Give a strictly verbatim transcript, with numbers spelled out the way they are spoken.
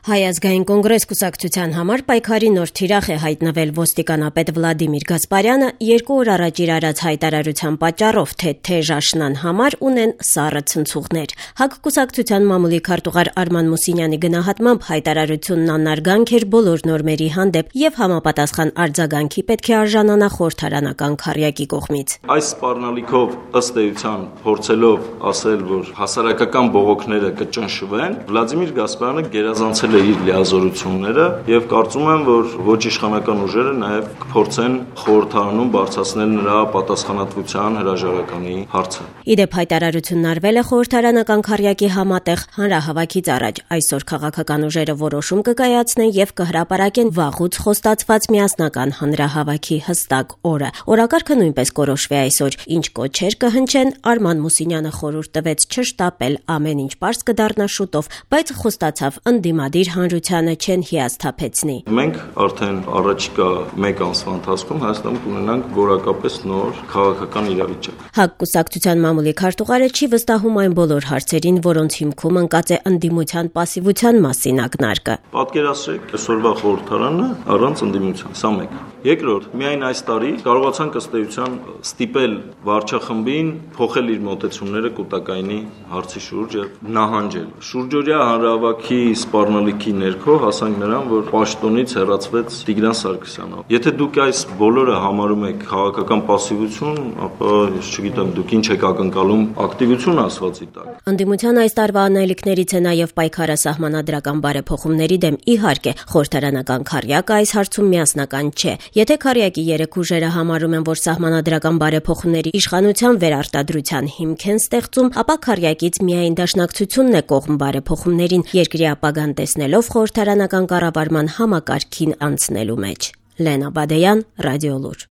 Հայ ազգային կոնգրես կուսակցության համար պայքարի նոր թիրախ է հայտնվել ոստիկանապետ Վլադիմիր Գասպարյանը երկու օր առաջ իր արած հայտարարության պատճառով, թե թեժ աշնան համար ունեն սառը ցնցուղներ։ ՀԱԿ կուսակցության մամուլի քարտուղար Արման Մուսինյանի գնահատմամբ հայտարարությունն անարգանք էր բոլոր նորմերի հանդեպ եւ համապատասխան արձագանքի պետք է արժանանա խորհրդարանական քառյակի կողմից։ Այս սպառնալիքով ըստ էության փորձելով ասել, որ հասարակական բողոքները կճնշվեն, Վլադիմիր Գասպարյանը գերազանցել իր լիազորությունները եւ կարծում եմ, որ ոչ իշխանական ուժերը նաեւ կփորձեն խորհրդարանում բարձրացնել նրա պատասխանատվության հրաժարականի հարցը։ Իդեպ հայտարարությունն արվել է խորհրդարանական քառյակի համատեղ հանրահավաքից առաջ։ Այսօր քաղաքական ուժերը որոշում կկայացնեն եւ կհրապարակեն վաղուց խոստացված միասնական հանրահավաքի հստակ օրը։ Օրակարգը նույնպես կորոշվի այսօր, ինչ կոչեր կհնչեն, Արման Մուսինյանը խորհուրդ տվեց չշտապել, ամեն ինչ պարզ կդառնա շուտով, բայց խոստացավ ընդդիմադիր հանրությանը չեն հիասթափեցնի։ Մենք արդեն առաջիկա մեկ ամսվա ընթացքում Հայաստանում կունենանք որակապես նոր քաղաքական իրավիճակ։ ՀԱԿ կուսակցության մամուլի քարտուղարը չի վստահում այն բոլոր հարցերին, որոնց հիմքում ընկած է ընդդիմության պասիվության մասին ակնարկը։ Պատկերացրեք այսօրվա խորհրդարանը առանց ընդդիմության, սա մեկ։ Երկրորդ, միայն այս տարի կարողացանք ըստ էության ստիպել վարչախմբին փոխել իր մոտեցումները կൂട്ടակայինի հարցի շուրջ եւ նահանջել։ Շուրջօրյա հանրահավաքի սպառնալիքի ներքո հասանք նրան, որ պաշտոնից հեռացվեց Տիգրան Սարգսյանը։ Եթե դուք այս բոլորը համարում եք քաղաքական պասիվություն, ապա ես չգիտեմ դուք ինչ եք ակնկալում ակտիվություն ասվածի տակ։ Ընդդիմության այս տարվա անելիքներից է նաեւ պայքարը սահմանադրական բարեփոխումների դեմ։ Իհարկե, խորհրդարանական քառյակը այս հարցում միասնական չէ։ Եթե քառյակի երեք ուժերը համարում են, որ սահմանադրական բարեփոխումների իշխանության վերարտադրության հիմք են ստեղծում, ապա քառյակից միայն դաշնակցությունն է կողմ բարեփոխումներին, երկրի ապագան տեսնելով խորհրդարանական կառավարման համակարգին անցնելու մեջ։ Լենա Բադեյան, Ռադիոլուր։